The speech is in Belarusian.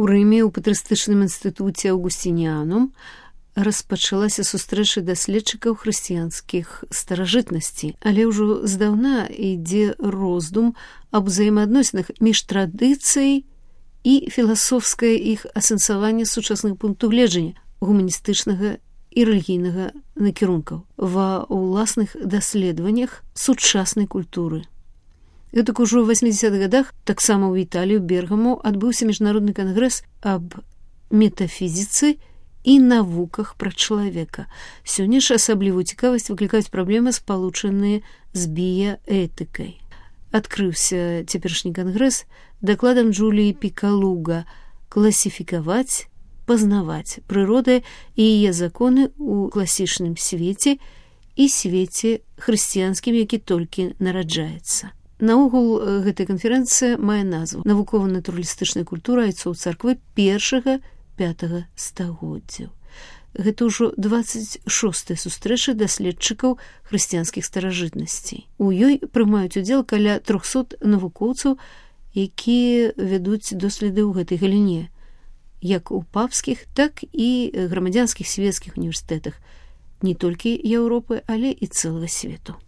У Рыме ў патрыстычным інстытуце Аўгусцініанум распачалася сустрэча даследчыкаў хрысціянскіх старажытнасцей, але ўжо здаўна ідзе роздум аб узаемаадносінах між традыцыяй і філасофскае іх асэнсаванне сучасных пунктаў гледжання гуманістычнага і рэлігійнага накірункаў ва ўласных даследаваннях сучаснай культуры. Гэтак ужо ў 80-х гадах таксама ў Італіі, у Бергаму, адбыўся міжнародны кангрэс аб метафізіцы і навуках пра чалавека. Сёння ж асаблівую цікавасць выклікаюць праблемы, спалучаныя з біяэтыкай. Адкрыўся цяперашні кангрэс дакладам Джуліі Пікалуга «Класіфікаваць, пазнаваць прыроды і яе законы ў класічным свеце і свеце хрысціянскім, які толькі нараджаецца». Наогул, гэтая канферэнцыя мае назву «Навукова-натуралістычная культура айцоў царквы 1-5 стагоддзяў». Гэта ўжо 26-я сустрэча даследчыкаў хрысціянскіх старажытнасцей. У ёй прымаюць удзел каля 300 навукоўцаў, якія вядуць доследы ў гэтай галіне, як у папскіх, так і грамадзянскіх свецкіх універсітэтах не толькі Еўропы, але і цэлага свету.